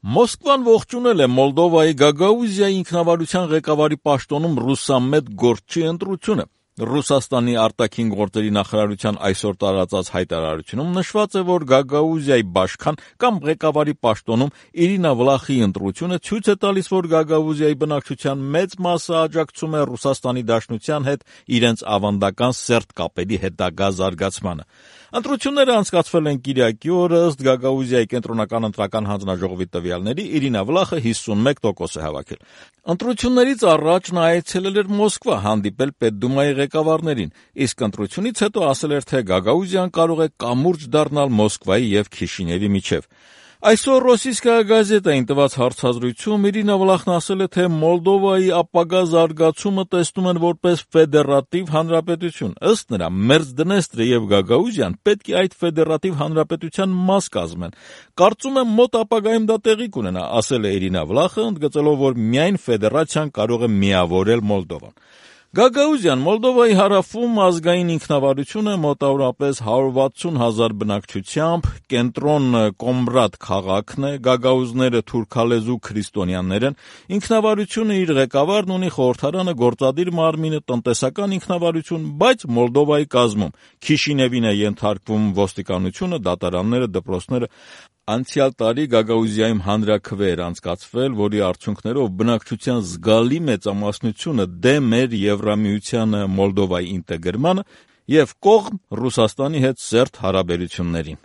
Մոսկվան ողջունել է Մոլդովայի Գագաուզիայի ինքնավարության ղեկավարի պաշտոնում Ռուսամետ Գորչի ընտրությունը։ Ռուսաստանի արտաքին գործերի նախարարության այսօր տարածած հայտարարությունում նշված է, որ Գագաուզիայի բաշխան կամ ղեկավարի պաշտոնում Իրինա Վլախիի ընտրությունը ցույց է տալիս, որ Գագաուզիայի բնակչության մեծ մասը աջակցում է Ռուսաստանի Դաշնության հետ իրենց ավանդական սերտ կապերի հետագա զարգացմանը։ Ընտրությունները անցկացվել են կիրակի օրը, ըստ Գագաուզիայի կենտրոնական ընտրական հանձնաժողովի տվյալների Իրինա Վլախը 51% է հավաքել։ Ընտրություններից առաջ նա այցելել էր Մոսկվա, հանդիպել Պետդումայի ղեկավարներին, իսկ ընտրությունից հետո ասել էր, թե Գագաուզիան կարող է կամուրջ դառնալ Մոսկվայի եւ Քիշինևի միջև։ Այսօր «Ռոսիյսկայա գազետային» տված հարցազրույցում Իրինա Վլախն ասել է, թե Մոլդովայի ապագա զարգացումը տեսնում են որպես ֆեդերատիվ հանրապետություն։ Ըստ նրա, Մերձդնեստրը եւ Գագաուզիան պետք է այդ ֆեդերատիվ հանրապետության մաս կազմեն։ Կարծում եմ մոտ ապագայում դա տեղի կունենա, ասել է Իրինա Վլախը, ընդգծելով, որ միայն ֆեդերացիան կարող է միավորել Մոլդովան։ Գագաուզիան Մոլդովայի հարավում ազգային ինքնավարություն է, մոտավորապես 160,000 բնակչությամբ, կենտրոն Կոմբրատ քաղաքն է, գագաուզները թուրքալեզու քրիստոնյաներ են, ինքնավարությունը իր ղեկավարն ունի, խորհրդարանը, գործադիր մարմինը, տնտեսական ինքնավարություն, բայց Մոլդովայի կազմում Քիշինևին է ենթարկվում ոստիկանությունը, դատարանները, դպրոցները։ Անցյալ տարի Գագաուզիայում հանրաքվե էր անցկացվել, որի արդյունքներով բնակչության զգալի մեծամասնությունը դեմ էր Եվրամիությանը Մոլդովայի ինտեգրմանը եւ կողմ Ռուսաստանի հետ սերտ հարաբերություններին։